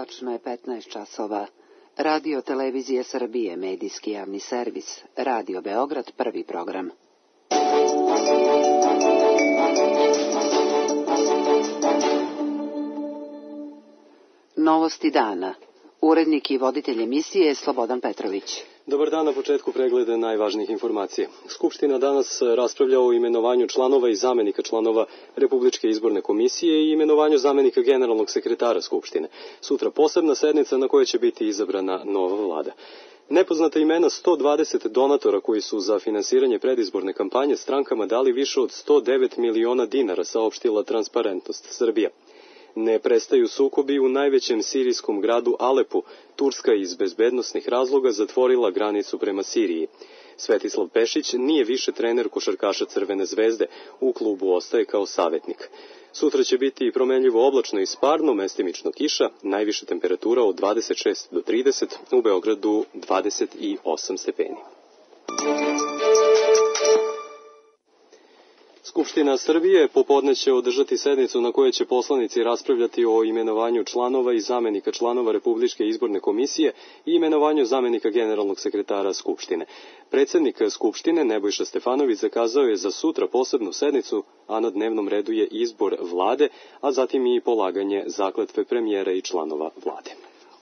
Tačno je 15 časova. Radio Televizije Srbije, medijski javni servis. Radio Beograd, prvi program. Novosti dana. Urednik i voditelj emisije je Slobodan Petrović. Dobar dan, na početku pregleda najvažnijih informacija. Skupština danas raspravlja o imenovanju članova i zamenika članova Republičke izborne komisije i imenovanju zamenika generalnog sekretara Skupštine. Sutra posebna sednica na kojoj će biti izabrana nova vlada. Nepoznata imena 120 donatora koji su za finansiranje predizborne kampanje strankama dali više od 109 miliona dinara, saopštila Transparentnost Srbija. Ne prestaju sukobi u najvećem sirijskom gradu Alepu. Turska iz bezbednosnih razloga zatvorila granicu prema Siriji. Svetislav Pešić nije više trener košarkaša Crvene zvezde, u klubu ostaje kao savjetnik. Sutra će biti promenljivo oblačno i sparno, mestimično kiša, najviša temperatura od 26 do 30, u Beogradu 28 stepeni. Skupština Srbije popodne će održati sednicu na kojoj će poslanici raspravljati o imenovanju članova i zamenika članova Republičke izborne komisije i imenovanju zamenika generalnog sekretara Skupštine. Predsednik Skupštine Nebojša Stefanović zakazao je za sutra posebnu sednicu, a na dnevnom redu je izbor vlade, a zatim i polaganje zakletve premijera i članova vlade.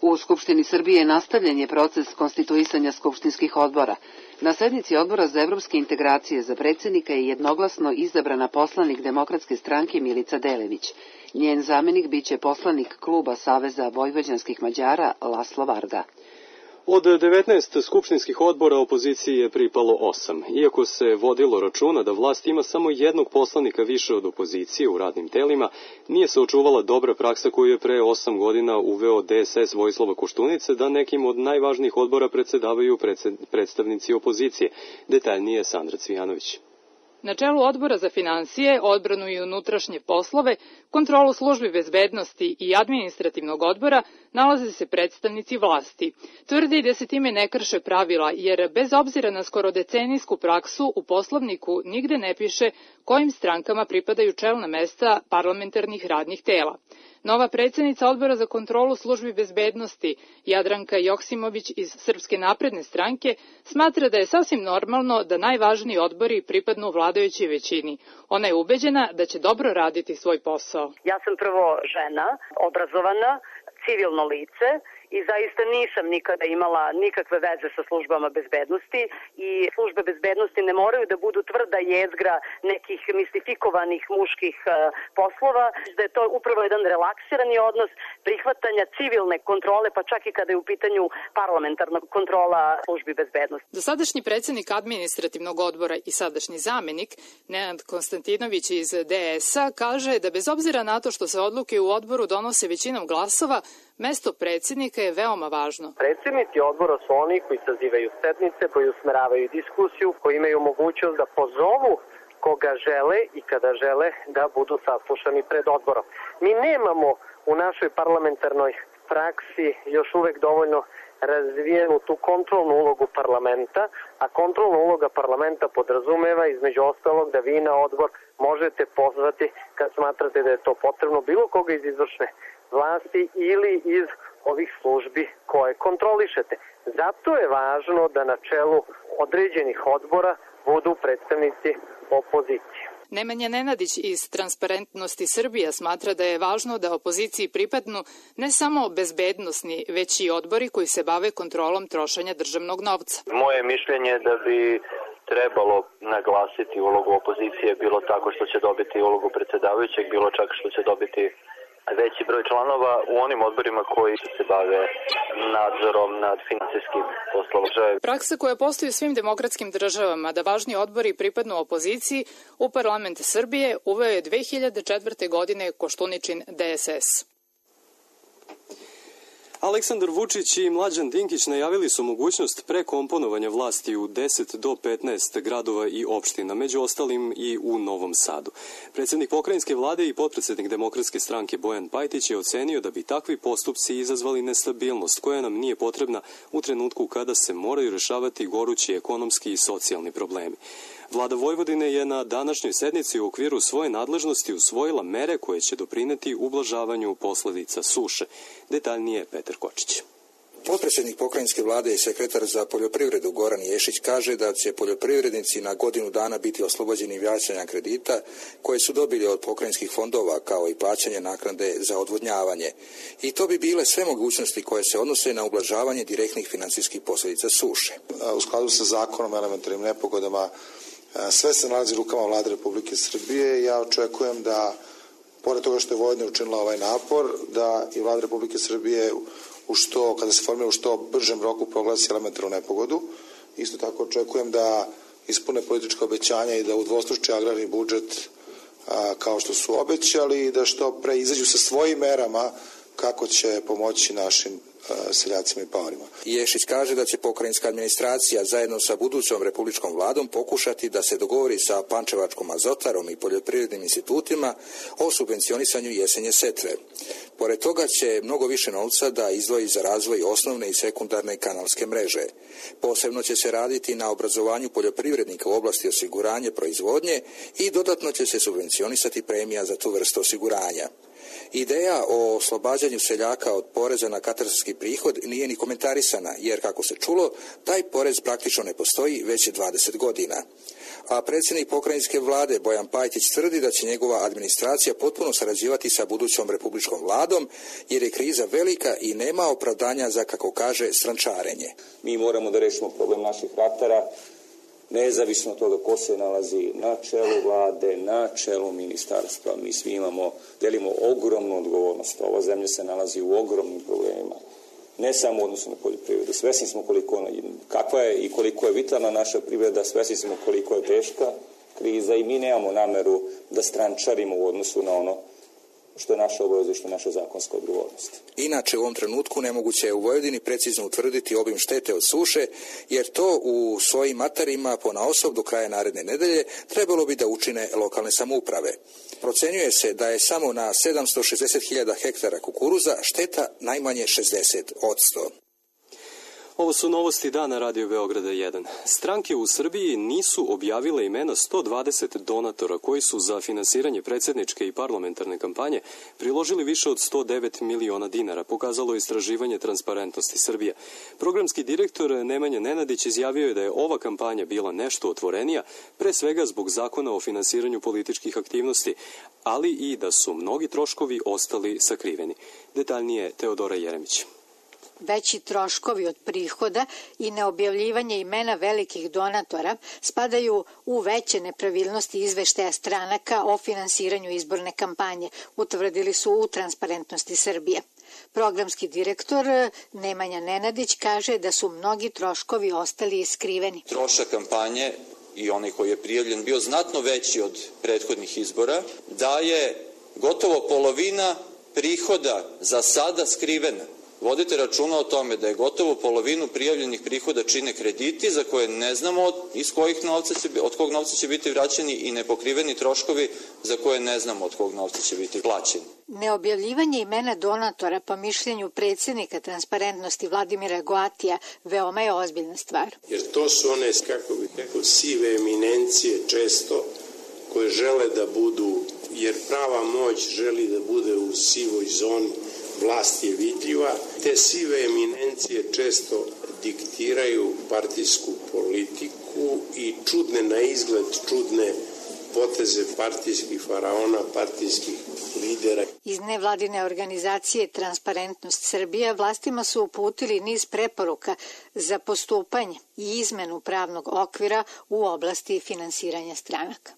U Skupštini Srbije nastavljen je proces konstituisanja skupštinskih odbora. Na sednici Odbora za evropske integracije za predsjednika je jednoglasno izabrana poslanik Demokratske stranke Milica Delević. Njen zamenik biće poslanik kluba Saveza vojvođanskih Mađara Laslo Varga. Od 19 skupštinskih odbora opoziciji je pripalo 8. Iako se vodilo računa da vlast ima samo jednog poslanika više od opozicije u radnim telima, nije se očuvala dobra praksa koju je pre 8 godina uveo DSS Vojislava Koštunice da nekim od najvažnijih odbora predsedavaju predstavnici opozicije. Detaljnije Sandra Cvijanović. Na čelu Odbora za finansije, odbranu i unutrašnje poslove, kontrolu službi bezbednosti i administrativnog odbora nalaze se predstavnici vlasti. Tvrdi da se time ne krše pravila, jer bez obzira na skoro decenijsku praksu u Poslovniku nigde ne piše kojim strankama pripadaju čelna mesta parlamentarnih radnih tela. Nova predsjednica Odbora za kontrolu službi bezbednosti, Jadranka Joksimović iz Srpske napredne stranke, smatra da je sasvim normalno da najvažniji odbori pripadnu vladajućoj većini. Ona je ubeđena da će dobro raditi svoj posao. Ja sam prvo žena, obrazovana, civilno lice i zaista nisam nikada imala nikakve veze sa službama bezbednosti i službe bezbednosti ne moraju da budu tvrda jezgra nekih mistifikovanih muških poslova, da je to upravo jedan relaksirani odnos prihvatanja civilne kontrole, pa čak i kada je u pitanju parlamentarna kontrola službi bezbednosti. Dosadašnji predsjednik administrativnog odbora i sadašnji zamenik, Nenad Konstantinović iz DS-a, kaže da bez obzira na to što se odluke u odboru donose većinom glasova, mesto predsjednika je veoma važno. Predsjednici odbora su oni koji sazivaju sednice, koji usmeravaju diskusiju, koji imaju mogućnost da pozovu koga žele i kada žele da budu saslušani pred odborom. Mi nemamo u našoj parlamentarnoj praksi još uvek dovoljno razvijenu tu kontrolnu ulogu parlamenta, a kontrolna uloga parlamenta podrazumeva između ostalog da vi na odbor možete pozvati kad smatrate da je to potrebno bilo koga iz izvršne vlasti ili iz ovih službi koje kontrolišete. Zato je važno da na čelu određenih odbora budu predstavnici opozicije. Nemanja Nenadić iz Transparentnosti Srbija smatra da je važno da opoziciji pripadnu ne samo bezbednosni, već i odbori koji se bave kontrolom trošenja državnog novca. Moje mišljenje je da bi trebalo naglasiti ulogu opozicije, bilo tako što će dobiti ulogu predsjedavajućeg, bilo čak što će dobiti veći broj članova u onim odborima koji se bave nadzorom nad finansijskim poslovima. Praksa koja postoji u svim demokratskim državama da važni odbori pripadnu opoziciji u parlament Srbije uveo je 2004. godine Koštuničin DSS. Aleksandar Vučić i Mlađan Dinkić najavili su mogućnost prekomponovanja vlasti u 10 do 15 gradova i opština, među ostalim i u Novom Sadu. Predsjednik pokrajinske vlade i potpredsjednik Demokratske stranke Bojan Pajtić je ocenio da bi takvi postupci izazvali nestabilnost koja nam nije potrebna u trenutku kada se moraju rešavati gorući ekonomski i socijalni problemi. Vlada Vojvodine je na današnjoj sednici u okviru svoje nadležnosti usvojila mere koje će doprineti ublažavanju posledica suše. Detaljnije Petar Kočić. Potpredsjednik pokrajinske vlade i sekretar za poljoprivredu Goran Ješić kaže da će poljoprivrednici na godinu dana biti oslobođeni plaćanja kredita koje su dobili od pokrajinskih fondova, kao i plaćanje naknade za odvodnjavanje. I to bi bile sve mogućnosti koje se odnose na ublažavanje direktnih financijskih posljedica suše. U skladu sa zakonom o elementarnim nepogodama sve se nalazi u rukama Vlade Republike Srbije. Ja očekujem da, pored toga što je Vojvodina učinila ovaj napor, da i Vlada Republike Srbije kada se formira u što bržem roku proglasi elementarnu nepogodu. Isto tako očekujem da ispune politička obećanja i da udvostruče agrarni budžet kao što su obećali i da što pre izađu sa svojim merama kako će pomoći našim seljacima i paorima. Ješić kaže da će pokrajinska administracija zajedno sa budućom republičkom vladom pokušati da se dogovori sa Pančevačkom azotarom i poljoprivrednim institutima o subvencionisanju jesenje setve. Pored toga će mnogo više novca da izdvoji za razvoj osnovne i sekundarne kanalske mreže. Posebno će se raditi na obrazovanju poljoprivrednika u oblasti osiguranja proizvodnje i dodatno će se subvencionisati premija za tu vrstu osiguranja. Ideja o oslobađanju seljaka od poreza na katastarski prihod nije ni komentarisana, jer, kako se čulo, taj porez praktično ne postoji već 20 godina. A predsjednik pokrajinske vlade Bojan Pajtić tvrdi da će njegova administracija potpuno sarađivati sa budućom republičkom vladom, jer je kriza velika i nema opravdanja za, kako kaže, strančarenje. Mi moramo da rešimo problem naših ratara, nezavisno od toga ko se nalazi na čelu vlade, na čelu ministarstva. Mi svi delimo ogromnu odgovornost. Ova zemlja se nalazi u ogromnim problemima. Ne samo u odnosu na poljoprivredu. Svesni smo kakva je i koliko je vitalna naša privreda, svesni smo koliko je teška kriza i mi nemamo nameru da strančarimo u odnosu na ono što je naša obaveza i što je naša zakonska odgovornost. Inače, u ovom trenutku nemoguće je u Vojvodini precizno utvrditi obim štete od suše, jer to u svojim materima ponaosob do kraja naredne nedelje trebalo bi da učine lokalne samouprave. Procenjuje se da je samo na 760.000 hektara kukuruza šteta najmanje 60%. Ovo su novosti dana Radio Beograda 1. Stranke u Srbiji nisu objavile imena 120 donatora koji su za finansiranje predsjedničke i parlamentarne kampanje priložili više od 109 miliona dinara, pokazalo istraživanje Transparentnosti Srbije. Programski direktor Nemanja Nenadić izjavio je da je ova kampanja bila nešto otvorenija, pre svega zbog zakona o finansiranju političkih aktivnosti, ali i da su mnogi troškovi ostali sakriveni. Detaljnije Teodora Jeremić. Veći troškovi od prihoda i neobjavljivanje imena velikih donatora spadaju u veće nepravilnosti izveštaja stranaka o finansiranju izborne kampanje, utvrdili su u Transparentnosti Srbije. Programski direktor Nemanja Nenadić kaže da su mnogi troškovi ostali skriveni. Trošak kampanje i onaj koji je prijavljen bio znatno veći od prethodnih izbora, da je gotovo polovina prihoda za sada skrivena. Vodite računa o tome da je gotovo polovinu prijavljenih prihoda čine krediti za koje ne znamo od kog novca će biti vraćeni i nepokriveni troškovi za koje ne znamo od kog novca će biti plaćeni. Neobjavljivanje imena donatora, po mišljenju predsjednika Transparentnosti Vladimira Goatija, veoma je ozbiljna stvar. Jer to su one, kako bih rekao, sive eminencije često koje žele da budu, jer prava moć želi da bude u sivoj zoni. Vlast je vidljiva. Te sive eminencije često diktiraju partijsku politiku i čudne na izgled, čudne poteze partijskih faraona, partijskih lidera. Iz nevladine organizacije Transparentnost Srbije vlastima su uputili niz preporuka za postupanje i izmenu pravnog okvira u oblasti finansiranja stranaka.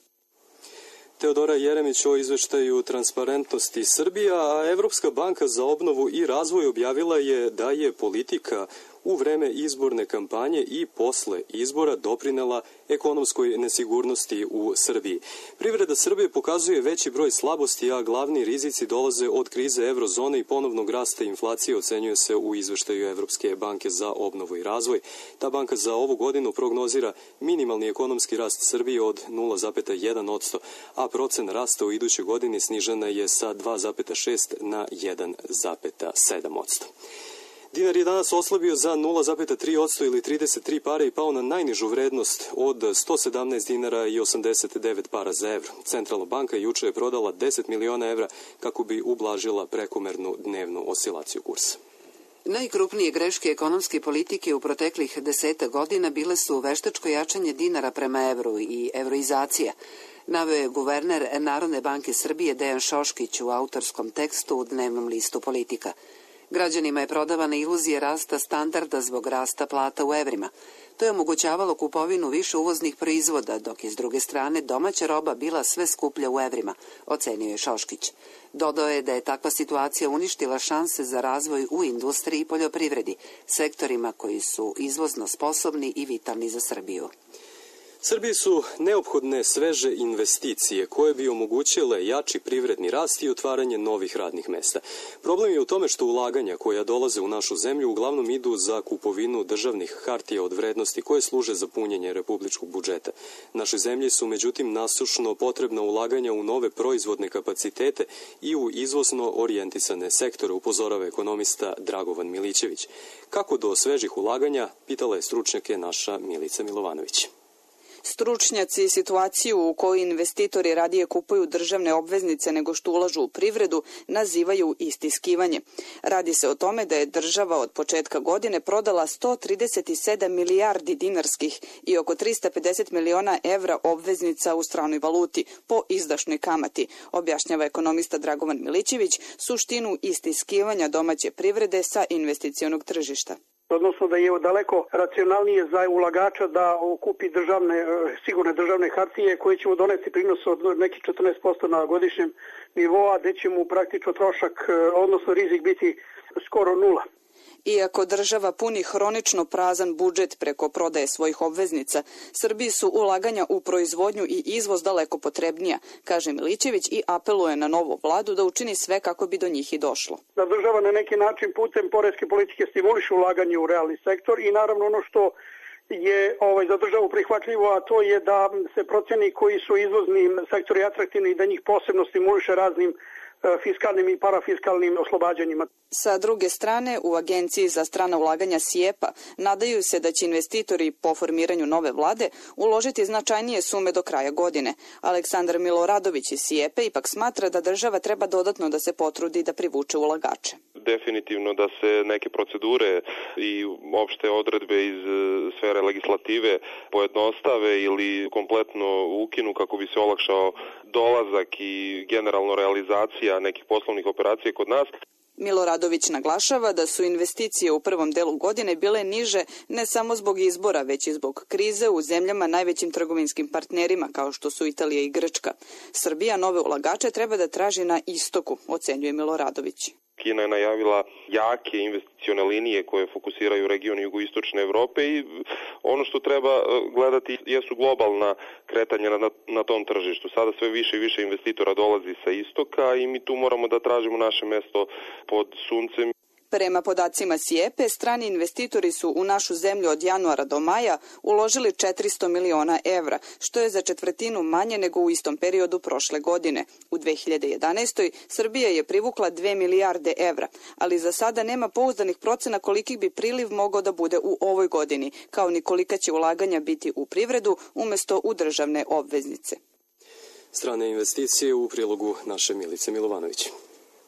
Teodora Jeremić o izveštaju Transparentnosti Srbije, a Evropska banka za obnovu i razvoj objavila je da je politika u vreme izborne kampanje i posle izbora doprinela ekonomskoj nesigurnosti u Srbiji. Privreda Srbije pokazuje veći broj slabosti, a glavni rizici dolaze od krize eurozone i ponovnog rasta inflacije, ocenjuje se u izveštaju Evropske banke za obnovu i razvoj. Ta banka za ovu godinu prognozira minimalni ekonomski rast Srbije od 0,1%, a procen rasta u idućoj godini snižena je sa 2,6 na 1,7%. Dinar je danas oslabio za 0,3% ili 33 pare i pao na najnižu vrednost od 117 dinara i 89 para za evro. Centralna banka juče je prodala 10 miliona evra kako bi ublažila prekomernu dnevnu oscilaciju kursa. Najkrupnije greške ekonomske politike u proteklih 10 godina bile su veštačko jačanje dinara prema evru i evroizacija, naveo je guverner Narodne banke Srbije Dejan Šoškić u autorskom tekstu u dnevnom listu Politika. Građanima je prodavana iluzija rasta standarda zbog rasta plata u evrima. To je omogućavalo kupovinu više uvoznih proizvoda, dok je s druge strane domaća roba bila sve skuplja u evrima, ocenio je Šoškić. Dodao je da je takva situacija uništila šanse za razvoj u industriji i poljoprivredi, sektorima koji su izvozno sposobni i vitalni za Srbiju. Srbiji su neophodne sveže investicije koje bi omogućile jači privredni rast i otvaranje novih radnih mesta. Problem je u tome što ulaganja koja dolaze u našu zemlju uglavnom idu za kupovinu državnih hartija od vrednosti koje služe za punjenje republičkog budžeta. Našoj zemlji su međutim nasušno potrebna ulaganja u nove proizvodne kapacitete i u izvozno orijentisane sektore, upozorava ekonomista Dragovan Milićević. Kako do svežih ulaganja, pitala je stručnjake naša Milica Milovanović. Stručnjaci situaciju u kojoj investitori radije kupuju državne obveznice nego što ulažu u privredu nazivaju istiskivanje. Radi se o tome da je država od početka godine prodala 137 milijardi dinarskih i oko 350 miliona evra obveznica u stranoj valuti po izdašnoj kamati, objašnjava ekonomista Dragovan Milićević suštinu istiskivanja domaće privrede sa investicionog tržišta. Odnosno da je daleko racionalnije za ulagača da kupi sigurne državne hartije koje će mu doneti prinos od nekih 14% na godišnjem nivoa, gde će mu praktično trošak, odnosno rizik biti skoro nula. Iako država puni hronično prazan budžet preko prodaje svojih obveznica, Srbiji su ulaganja u proizvodnju i izvoz daleko potrebnija, kaže Milićević i apeluje na novu vladu da učini sve kako bi do njih i došlo. Da država na neki način putem poreske politike stimuliše ulaganje u realni sektor i naravno ono što je za državu prihvatljivo, a to je da se proceni koji su izvozni sektori atraktivni i da njih posebno stimuliše raznim fiskalnim i parafiskalnim oslobađanjima. Sa druge strane, u Agenciji za strana ulaganja SIEPA nadaju se da će investitori po formiranju nove vlade uložiti značajnije sume do kraja godine. Aleksandar Miloradović iz SIEPA ipak smatra da država treba dodatno da se potrudi da privuče ulagače. Definitivno da se neke procedure i opšte odredbe iz sfere legislative pojednostave ili kompletno ukinu kako bi se olakšao dolazak i generalno realizacija nekih poslovnih operacija kod nas. Miloradović naglašava da su investicije u prvom delu godine bile niže ne samo zbog izbora, već i zbog krize u zemljama najvećim trgovinskim partnerima kao što su Italija i Grčka. Srbija nove ulagače treba da traži na istoku, ocenjuje Miloradović. Kina je najavila jake investicione linije koje fokusiraju region jugoistočne Evrope i ono što treba gledati jesu globalna kretanja na tom tržištu. Sada sve više i više investitora dolazi sa istoka i mi tu moramo da tražimo naše mesto pod suncem. Prema podacima SIEPE, strani investitori su u našu zemlju od januara do maja uložili 400 miliona evra, što je za četvrtinu manje nego u istom periodu prošle godine. U 2011. Srbija je privukla 2 milijarde evra, ali za sada nema pouzdanih procena koliki bi priliv mogao da bude u ovoj godini, kao ni kolika će ulaganja biti u privredu umesto u državne obveznice. Strane investicije u prilogu naše Milice Milovanović.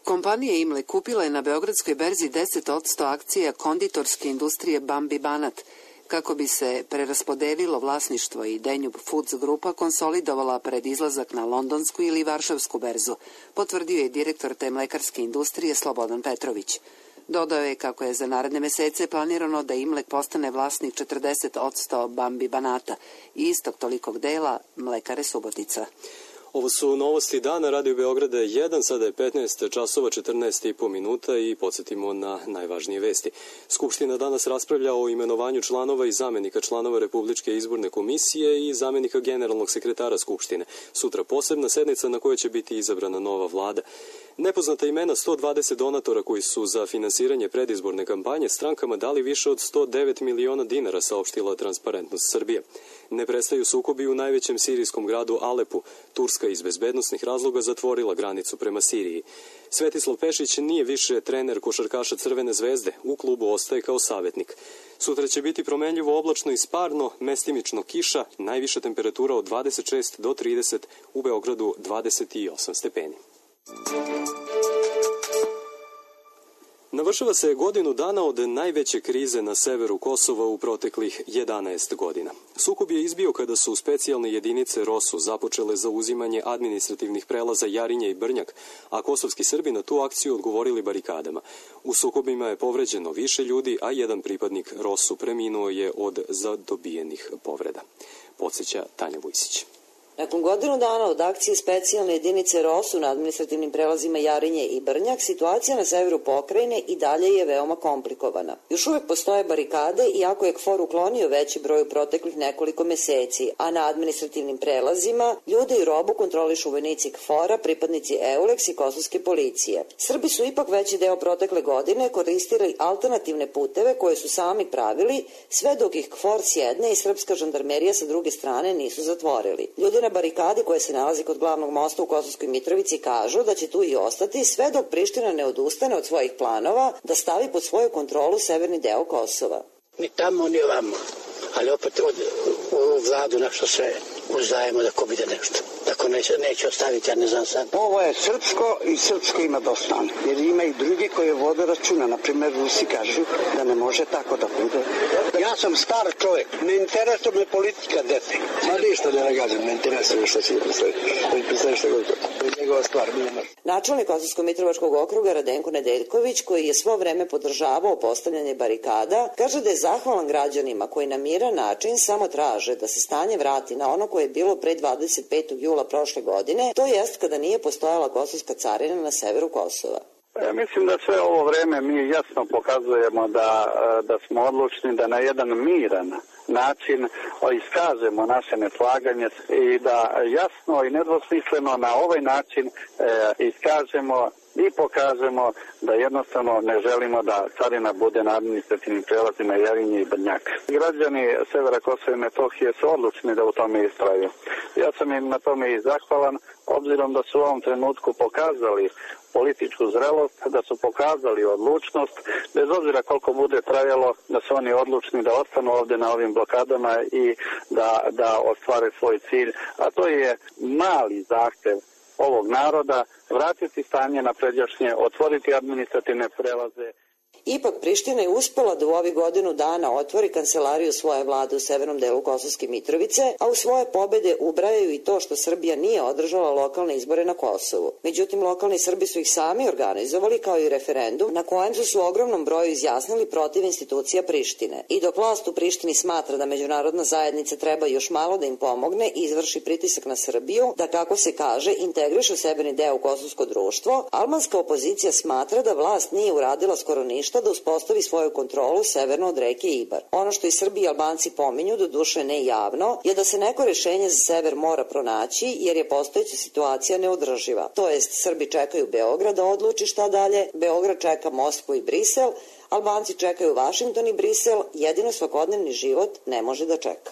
Kompanija Imle kupila je na Beogradskoj berzi 10% akcija konditorske industrije Bambi Banat, kako bi se preraspodelilo vlasništvo i Danube Foods grupa konsolidovala pred izlazak na londonsku ili varšavsku berzu, potvrdio je direktor te mlekarske industrije Slobodan Petrović. Dodao je kako je za naredne mesece planirano da Imlek postane vlasnik 40% Bambi Banata i istog tolikog dela Mlekare Subotica. Ovo su novosti dana, Radio Beograda 1, sada je 15 časova 14,5 minuta i podsjetimo na najvažnije vesti. Skupština danas raspravlja o imenovanju članova i zamenika članova Republičke izborne komisije i zamenika generalnog sekretara Skupštine. Sutra posebna sednica na kojoj će biti izabrana nova vlada. Nepoznata imena 120 donatora koji su za finansiranje predizborne kampanje strankama dali više od 109 miliona dinara, saopštila Transparentnost Srbije. Ne prestaju sukobi u najvećem sirijskom gradu Alepu. Turska iz bezbednosnih razloga zatvorila granicu prema Siriji. Svetislav Pešić nije više trener košarkaša Crvene zvezde, u klubu ostaje kao savjetnik. Sutra će biti promenljivo, oblačno i sparno, mestimično kiša, najviša temperatura od 26 do 30, u Beogradu 28 stepeni. Navršava se godinu dana od najveće krize na severu Kosova u proteklih 11 godina. Sukob je izbio kada su specijalne jedinice ROSU započele zauzimanje administrativnih prelaza Jarinje i Brnjak, a kosovski Srbi na tu akciju odgovorili barikadama. U sukobima je povređeno više ljudi, a jedan pripadnik ROSU preminuo je od zadobijenih povreda. Podseća Tanja Vujsić. Nakon godinu dana od akcije specijalne jedinice ROSU na administrativnim prelazima Jarinje i Brnjak, situacija na severu pokrajine i dalje je veoma komplikovana. Još uvek postoje barikade, iako je KFOR uklonio veći broj u proteklih nekoliko meseci, a na administrativnim prelazima ljude i robu kontrolišu vojnici KFOR-a, pripadnici EULEX i kosovske policije. Srbi su ipak veći deo protekle godine koristili alternativne puteve koje su sami pravili, sve dok ih KFOR s jedne i srpska žandarmerija sa druge strane nisu zatvorili. Ljudi na barikadi koje se nalazi kod glavnog mosta u Kosovskoj Mitrovici kažu da će tu i ostati sve dok Priština ne odustane od svojih planova da stavi pod svoju kontrolu severni deo Kosova. Ni tamo, ni ovamo, ali opet u vladu nešto sve uzdajemo da ko bude nešto. Tako neće ostaviti, ja ne znam sad. Ovo je srpsko i srpsko ima dosta, jer ima i drugi koji vode računa. Naprimjer, Rusi kažu da ne može tako da bude. Ja sam star čovjek, ne interesuje me politika dete. Ma ništa ne nagađam, ne interesuje što će predstaviti što god. To je njegova stvar. Načelnik Kosovsko-Mitrovačkog okruga Radenko Nedeljković, koji je svo vreme podržavao postavljanje barikada, kaže da je zahvalan građanima koji na miran način samo traže da se stanje vrati na ono koje je bilo pre 25. jula prošle godine, to jest kada nije postojala kosovska carina na severu Kosova. Ja mislim da sve ovo vreme mi jasno pokazujemo da smo odlučni da na jedan miran način iskažemo naše neslaganje i da jasno i nedvosmisleno na ovaj način iskažemo i pokažemo da jednostavno ne želimo da carina bude na administrativnim prelazima Jarinje i Brnjak. Građani severa Kosova i Metohije su odlučni da u tome istraju. Ja sam im na tome i zahvalan, obzirom da su u ovom trenutku pokazali političku zrelost, da su pokazali odlučnost, bez obzira koliko bude trajalo, da su oni odlučni da ostanu ovde na ovim blokadama i da ostvare svoj cilj, a to je mali zahtev ovog naroda, vratiti stanje na pređašnje, otvoriti administrativne prelaze. Ipak Priština je uspela da u ovih godinu dana otvori kancelariju svoje vlade u severnom delu Kosovske Mitrovice, a u svoje pobede ubrajaju i to što Srbija nije održala lokalne izbore na Kosovu. Međutim, lokalni Srbi su ih sami organizovali kao i referendum na kojem su se u ogromnom broju izjasnili protiv institucija Prištine. I dok vlast u Prištini smatra da međunarodna zajednica treba još malo da im pomogne i izvrši pritisak na Srbiju, da kako se kaže integriše severni deo u kosovsko društvo, albanska opozicija smatra da vlast nije uradila skoro ništa da uspostavi svoju kontrolu severno od reke Ibar. Ono što i Srbi i Albanci pominju, doduše ne javno, je da se neko rešenje za sever mora pronaći jer je postojeća situacija neodrživa. To jest, Srbi čekaju Beograd da odluči šta dalje, Beograd čeka Moskvu i Brisel, Albanci čekaju Vašington i Brisel, jedino svakodnevni život ne može da čeka.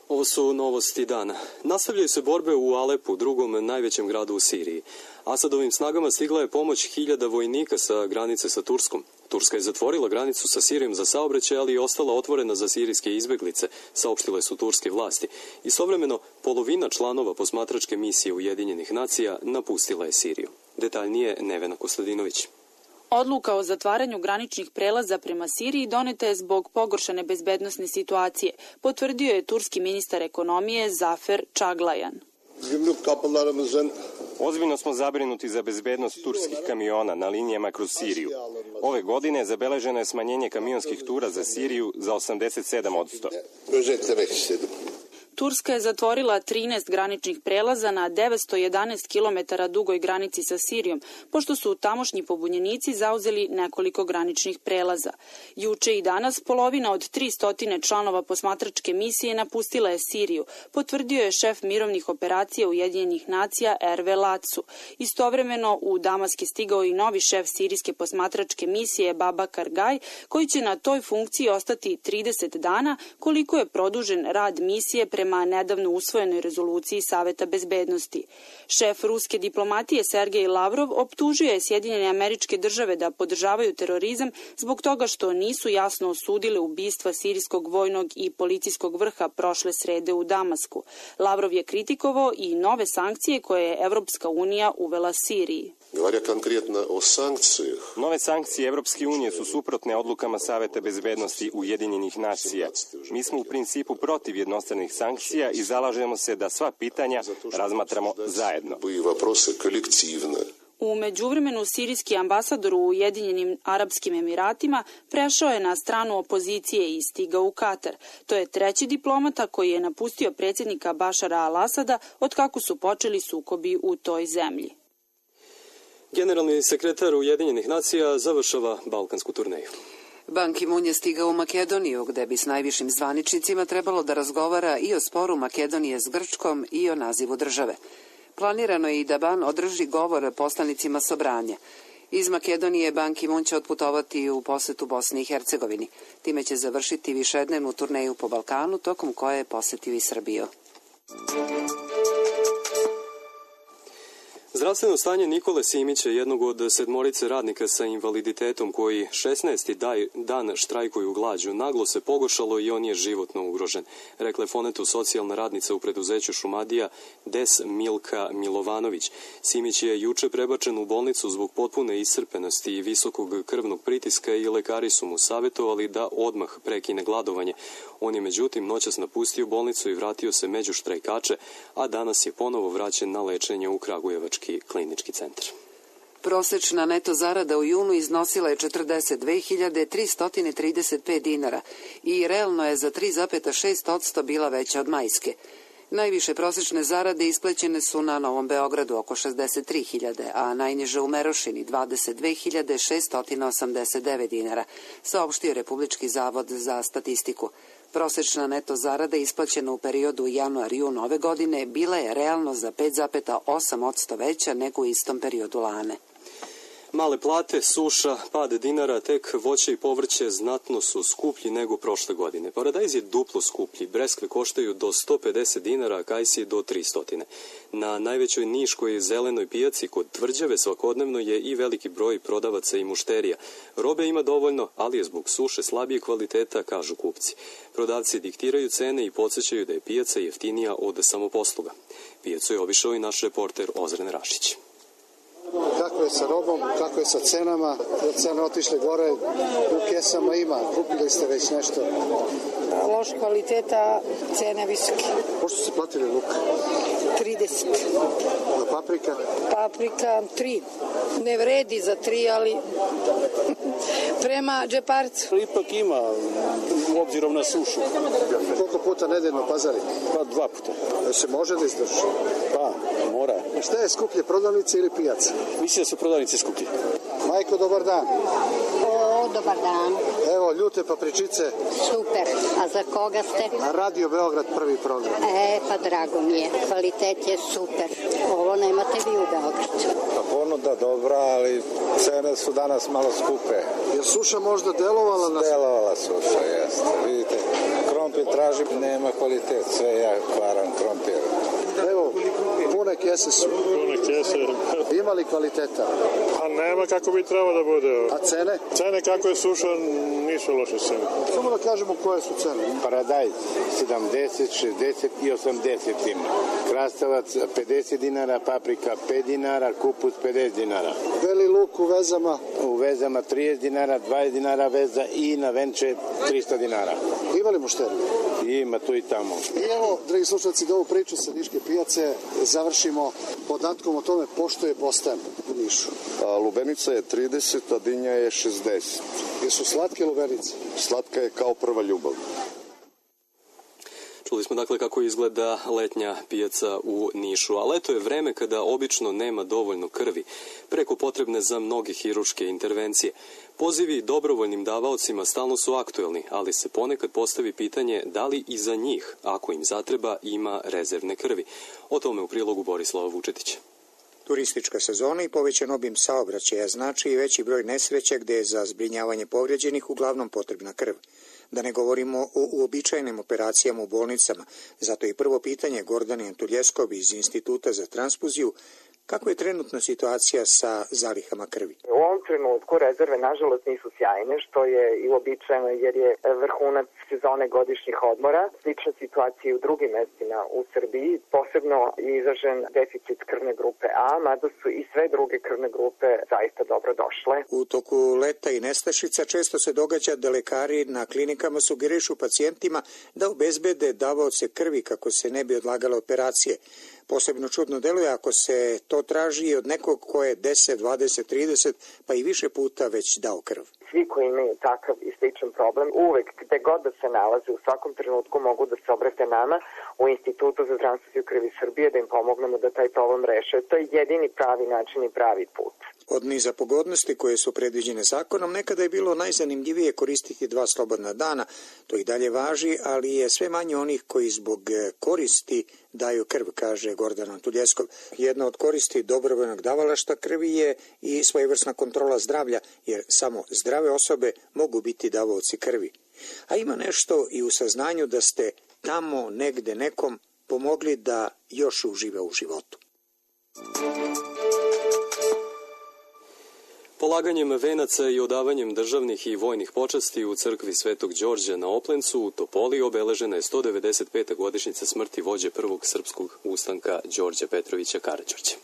Ovo su novosti dana. Nastavljaju se borbe u Alepu, drugom najvećem gradu u Siriji. Asadovim snagama stigla je pomoć 1000 vojnika sa granice sa Turskom. Turska je zatvorila granicu sa Sirijom za saobraćaj, ali je ostala otvorena za sirijske izbeglice, saopštile su turske vlasti. Istovremeno, polovina članova posmatračke misije Ujedinjenih nacija napustila je Siriju. Detaljnije Nevena Kostadinović. Odluka o zatvaranju graničnih prelaza prema Siriji doneta je zbog pogoršane bezbednosne situacije, potvrdio je turski ministar ekonomije Zafer Čaglajan. Ozbiljno smo zabrinuti za bezbednost turskih kamiona na linijama kroz Siriju. Ove godine zabeleženo je smanjenje kamionskih tura za Siriju za 87%. Turska je zatvorila 13 graničnih prelaza na 911 km dugoj granici sa Sirijom, pošto su tamošnji pobunjenici zauzeli nekoliko graničnih prelaza. Juče i danas polovina od 300 članova posmatračke misije napustila je Siriju, potvrdio je šef mirovnih operacija Ujedinjenih nacija Erve Lacu. Istovremeno u Damask je stigao i novi šef sirijske posmatračke misije Babakar Gaj, koji će na toj funkciji ostati 30 dana, koliko je produžen rad misije pre prema nedavno usvojenoj rezoluciji Saveta bezbednosti. Šef ruske diplomatije Sergej Lavrov optužio je Sjedinjene Američke Države da podržavaju terorizam zbog toga što nisu jasno osudile ubistva sirijskog vojnog i policijskog vrha prošle srede u Damasku. Lavrov je kritikovao i nove sankcije koje je Evropska unija uvela Siriji. Nove sankcije Evropske unije su suprotne odlukama Saveta bezbednosti Ujedinjenih nacija. Mi smo u principu protiv jednostranih sankcija i zalažemo se da sva pitanja razmatramo zajedno. U međuvremenu sirijski ambasador u Ujedinjenim Arapskim Emiratima prešao je na stranu opozicije i stigao u Katar. To je treći diplomata koji je napustio predsjednika Bašara al-Asada od kako su počeli sukobi u toj zemlji. Generalni sekretar Ujedinjenih nacija završava balkansku turneju. Ban Ki-moon je stigao u Makedoniju, gde bi s najvišim zvaničnicima trebalo da razgovara i o sporu Makedonije s Grčkom i o nazivu države. Planirano je i da Ban održi govor poslanicima Sobranja. Iz Makedonije Ban Ki-moon će otputovati u posetu Bosni i Hercegovini. Time će završiti višednevnu turneju po Balkanu, tokom koje je posetio i Srbiju. Zdravstveno stanje Nikole Simića, jednog od 7 radnika sa invaliditetom koji 16. dan štrajkuju glađu, naglo se pogoršalo i on je životno ugrožen, rekla je Fonetu socijalna radnica u preduzeću Šumadija Des Milka Milovanović. Simić je juče prebačen u bolnicu zbog potpune iscrpenosti i visokog krvnog pritiska i lekari su mu savjetovali da odmah prekine gladovanje. On je međutim noćas napustio bolnicu i vratio se među štrajkače, a danas je ponovo vraćen na lečenje u Kragujevački klinički centar. Prosečna neto zarada u junu iznosila je 42.335 dinara i realno je za 3,6% bila veća od majske. Najviše prosečne zarade isplaćene su na Novom Beogradu oko 63.000, a najniže u Merošini 22.689 dinara, saopštio Republički zavod za statistiku. Prosečna neto zarada isplaćena u periodu januar-jun ove godine bila je realno za 5,8% veća nego u istom periodu lane. Male plate, suša, pad dinara, tek voće i povrće znatno su skuplji nego prošle godine. Paradajz je duplo skuplji, breskve koštaju do 150 dinara, a kajsije do 300. Na najvećoj niškoj zelenoj pijaci kod Tvrđave svakodnevno je i veliki broj prodavaca i mušterija. Robe ima dovoljno, ali je zbog suše slabije kvaliteta, kažu kupci. Prodavci diktiraju cene i podsjećaju da je pijaca jeftinija od samoposluga. Pijacu je obišao i naš reporter Ozren Rašić. Kako je sa robom, kako je sa cenama, jer cene otišle gore, u kesama ima, kupili ste već nešto? Loš kvaliteta, cene visoke. Pošto ste platili luk? 30. A paprika? Paprika 3. Ne vredi za 3, ali prema džeparcu. Ipak ima, obzirom na sušu. Koliko puta nedeljno pazari? Pa 2 puta. Se može da izdrži? Pa, mora. Šta je skuplje, prodavnice ili pijaca? Mislim da su prodavnice skuplje. Majko, dobar dan. Dobar dan. Evo, ljute papričice. Super. A za koga ste? Radio Beograd, prvi program. Pa drago mi je. Kvalitet je super. Ovo nemate vi u Beogradu. Pa ponuda dobra, ali cene su danas malo skupe. Je suša možda delovala na... Delovala suša, jeste. Vidite, krompir tražim, nema kvalitet. Sve ja kvaram krompir. Evo, pune kese su. Pune kese. Ima li kvaliteta? Pa nema kako bi trebalo da bude. A cene? Cene kako je suša nisu loše cene. Samo da kažemo koje su cene. Paradajz 70, 60 i 80 ima. Krastavac 50 dinara, paprika 5 dinara, kupus 50 dinara. Beli luk u vezama? U vezama 30 dinara, 20 dinara veza i na venče 300 dinara. Ima li mušterija? Ima tu i tamo. I evo, dragi slušalci, da ovu priču sa Niške pijace završimo podatkom o tome pošto je Bostan u Nišu. Lubenica je 30, a dinja je 60. Jesu slatke lubenice? Slatka je kao prva ljubav. Čuli smo dakle kako izgleda letnja pijaca u Nišu, a leto je vreme kada obično nema dovoljno krvi, preko potrebne za mnoge hiruške intervencije. Pozivi dobrovoljnim davaocima stalno su aktuelni, ali se ponekad postavi pitanje da li i za njih, ako im zatreba, ima rezervne krvi. O tome u prilogu Borislava Vučetića. Turistička sezona i povećan obim saobraćaja znači i veći broj nesreća gde je za zbrinjavanje povređenih uglavnom potrebna krv. Da ne govorimo o uobičajenim operacijama u bolnicama. Zato i prvo pitanje Gordane Antuljeskov iz Instituta za transfuziju: kako je trenutna situacija sa zalihama krvi? U ovom trenutku rezerve nažalost nisu sjajne, što je i uobičajeno jer je vrhunac sezone godišnjih odmora. Slična situacija i u drugim mestima u Srbiji, posebno je izražen deficit krvne grupe A, mada su i sve druge krvne grupe zaista dobro došle. U toku leta i nestašica često se događa da lekari na klinikama sugerišu pacijentima da obezbede davaoce krvi kako se ne bi odlagale operacije. Posebno čudno deluje ako se to traži od nekog ko je 10, 20, 30 pa i više puta već dao krv. Svi koji imaju takav i sličan problem, uvek gde god da se nalaze, u svakom trenutku mogu da se obrate nama u Institutu za transfuziju krvi Srbije da im pomognemo da taj problem reše. To je jedini pravi način i pravi put. Od niza pogodnosti koje su predviđene zakonom, nekada je bilo najzanimljivije koristiti 2 slobodna dana. To i dalje važi, ali je sve manje onih koji zbog koristi daju krv, kaže Gordana Antuljeskov. Jedna od koristi dobrovoljnog davalaštva krvi je i svojevrsna kontrola zdravlja, jer samo zdrave osobe mogu biti davaoci krvi. A ima nešto i u saznanju da ste tamo negde nekom pomogli da još uživa u životu. Polaganjem venaca i odavanjem državnih i vojnih počasti u crkvi Svetog Đorđa na Oplencu u Topoli obeležena je 195. godišnjica smrti vođe prvog srpskog ustanka Đorđa Petrovića Karađorđa.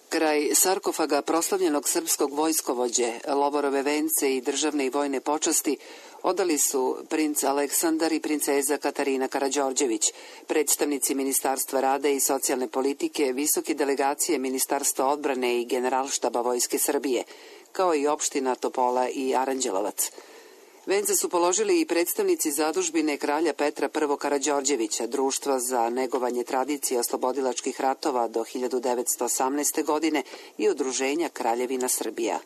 Kraj sarkofaga proslavljenog srpskog vojskovođe, lovorove vence i državne i vojne počasti odali su princ Aleksandar i princeza Katarina Karađorđević, predstavnici Ministarstva rada i socijalne politike, visoke delegacije Ministarstva odbrane i Generalštaba Vojske Srbije, kao i opština Topola i Aranđelovac. Vence su položili i predstavnici zadužbine kralja Petra I. Karađorđevića, Društva za negovanje tradicije oslobodilačkih ratova do 1918. godine i Udruženja Kraljevina Srbija.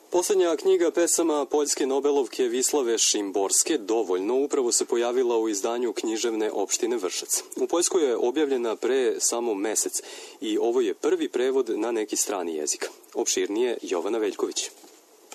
Poslednja knjiga pesama poljske nobelovke Vislave Šimborske, Dovoljno, upravo se pojavila u izdanju književne opštine Vršac. U Poljskoj je objavljena pre samo mesec i ovo je prvi prevod na neki strani jezik. Opširnije Jovana Veljković.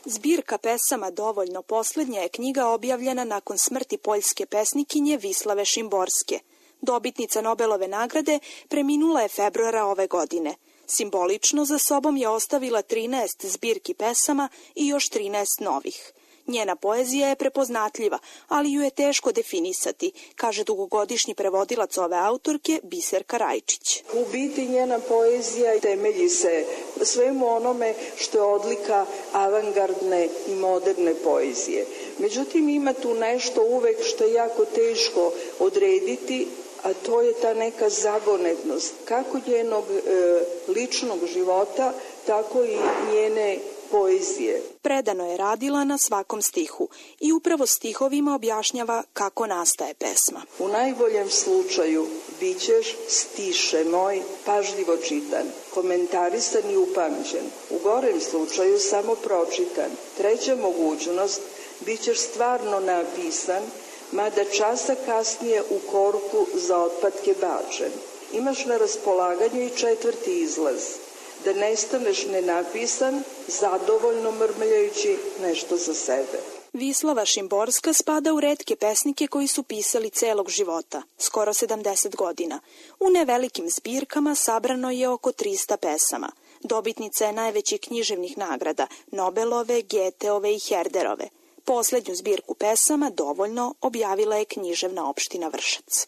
Zbirka pesama Dovoljno poslednja je knjiga objavljena nakon smrti poljske pesnikinje Vislave Šimborske. Dobitnica Nobelove nagrade preminula je februara ove godine. Simbolično za sobom je ostavila 13 zbirki pesama i još 13 novih. Njena poezija je prepoznatljiva, ali ju je teško definisati, kaže dugogodišnji prevodilac ove autorke Biserka Rajčić. U biti njena poezija temelji se svemu onome što je odlika avangardne i moderne poezije. Međutim, ima tu nešto uvek što je jako teško odrediti, a to je ta neka zagonetnost, kako njenog ličnog života, tako i njene poezije. Predano je radila na svakom stihu i upravo stihovima objašnjava kako nastaje pesma. U najboljem slučaju bićeš stiše moj pažljivo čitan, komentarisan i upamćen. U gorem slučaju samo pročitan. Treća mogućnost, bićeš stvarno napisan, mada časa kasnije u korpu za otpadke bačen. Imaš na raspolaganju i 4. izlaz, da nestaneš nenapisan, zadovoljno mrmljajući nešto za sebe. Vislava Šimborska spada u retke pesnike koji su pisali celog života, skoro 70 godina. U nevelikim zbirkama sabrano je oko 300 pesama. Dobitnica je najvećih književnih nagrada, Nobelove, Geteove i Herderove. Poslednju zbirku pesama, Dovoljno, objavila je književna opština Vršac.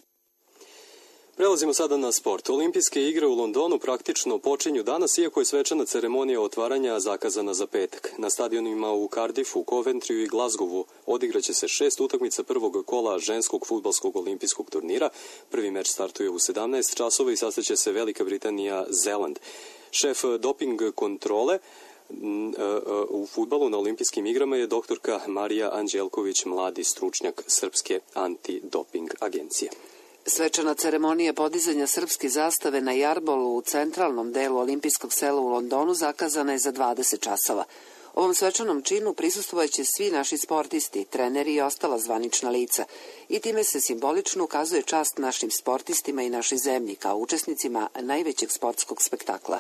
Prelazimo sada na sport. Olimpijske igre u Londonu praktično počinju danas, iako je svečana ceremonija otvaranja zakazana za petak. Na stadionima u Cardiffu, Coventryu i Glasgowu odigraće se 6 utakmica prvog kola ženskog fudbalskog olimpijskog turnira. Prvi meč startuje u 17 časova i sastaće se Velika Britanija-Zeland. Šef doping kontrole u fudbalu na olimpijskim igrama je doktorka Marija Anđelković, mladi stručnjak Srpske antidoping agencije. Svečana ceremonija podizanja srpske zastave na jarbolu u centralnom delu olimpijskog sela u Londonu zakazana je za 20 časova. Ovom svečanom činu prisustvovaće svi naši sportisti, treneri i ostala zvanična lica i time se simbolično ukazuje čast našim sportistima i našoj zemlji kao učesnicima najvećeg sportskog spektakla.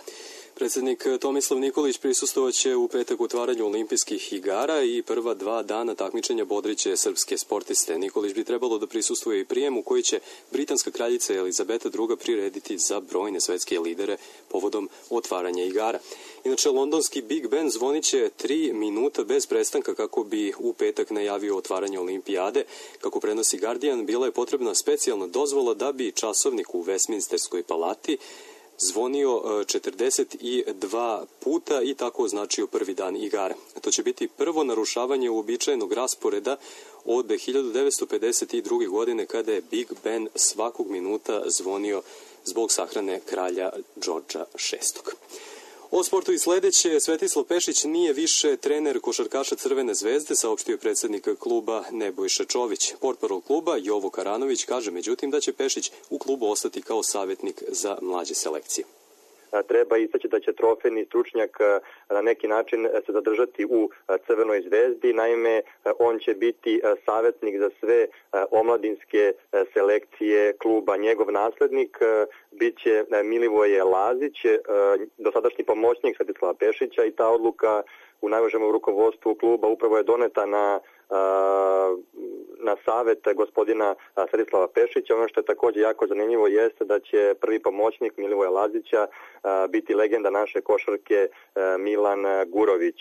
Predsjednik Tomislav Nikolić prisustovaće u petak otvaranju olimpijskih igara i prva 2 dana takmičenja bodriće srpske sportiste. Nikolić bi trebalo da prisustuje i prijemu koji će britanska kraljica Elizabeta II prirediti za brojne svetske lidere povodom otvaranja igara. Inače, londonski Big Ben zvoniće 3 minuta bez prestanka kako bi u petak najavio otvaranje olimpijade. Kako prenosi Guardian, bila je potrebna specijalna dozvola da bi časovnik u Westminsterskoj palati zvonio 42 puta i tako označio prvi dan igara. To će biti prvo narušavanje uobičajenog rasporeda od 1952. godine kada je Big Ben svakog minuta zvonio zbog sahrane kralja Đorđa VI. O sportu i sledeće, Svetislav Pešić nije više trener košarkaša Crvene zvezde, saopštio predsjednik kluba Nebojša Čović. Portparol kluba Jovo Karanović kaže međutim da će Pešić u klubu ostati kao savjetnik za mlađe selekcije. Treba istaći da će trofejni stručnjak na neki način se zadržati u Crvenoj zvezdi. Naime, on će biti savjetnik za sve omladinske selekcije kluba. Njegov naslednik biće Milivoje Lazić, dosadašnji pomoćnik Svetislava Pešića, i ta odluka u najvežem rukovodstvu kluba upravo je doneta na savet gospodina Svetislava Pešića. Ono što je također jako zanimljivo jeste da će prvi pomoćnik Milivoja Lazića biti legenda naše košarke Milan Gurović.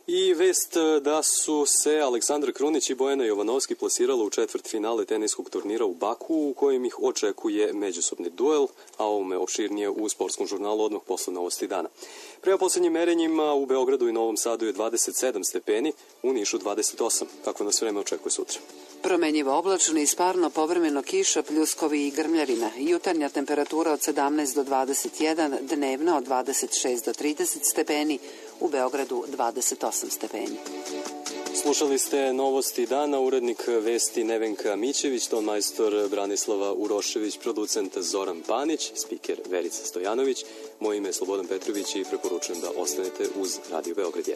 I vest da su se Aleksandar Krunić i Bojana Jovanovski plasirala u četvrtfinale teniskog turnira u Baku, u kojem ih očekuje međusobni duel, a ovome opširnije u sportskom žurnalu odmah posle novosti dana. Prema posljednjim merenjima u Beogradu i Novom Sadu je 27 stepeni, u Nišu 28. Kako nas vreme očekuje sutra? Promenjivo oblačno i sparno, povremeno kiša, pljuskovi i grmljavina. Jutarnja temperatura od 17 do 21, dnevna od 26 do 30 stepeni, u Beogradu 28 stepeni. Slušali ste novosti dana, urednik vesti Nevenka Mićević, tonmajstor Branislava Urošević, producent Zoran Panić, spiker Verica Stojanović. Moje ime je Slobodan Petrović i preporučujem da ostanete uz Radio Beograd 1.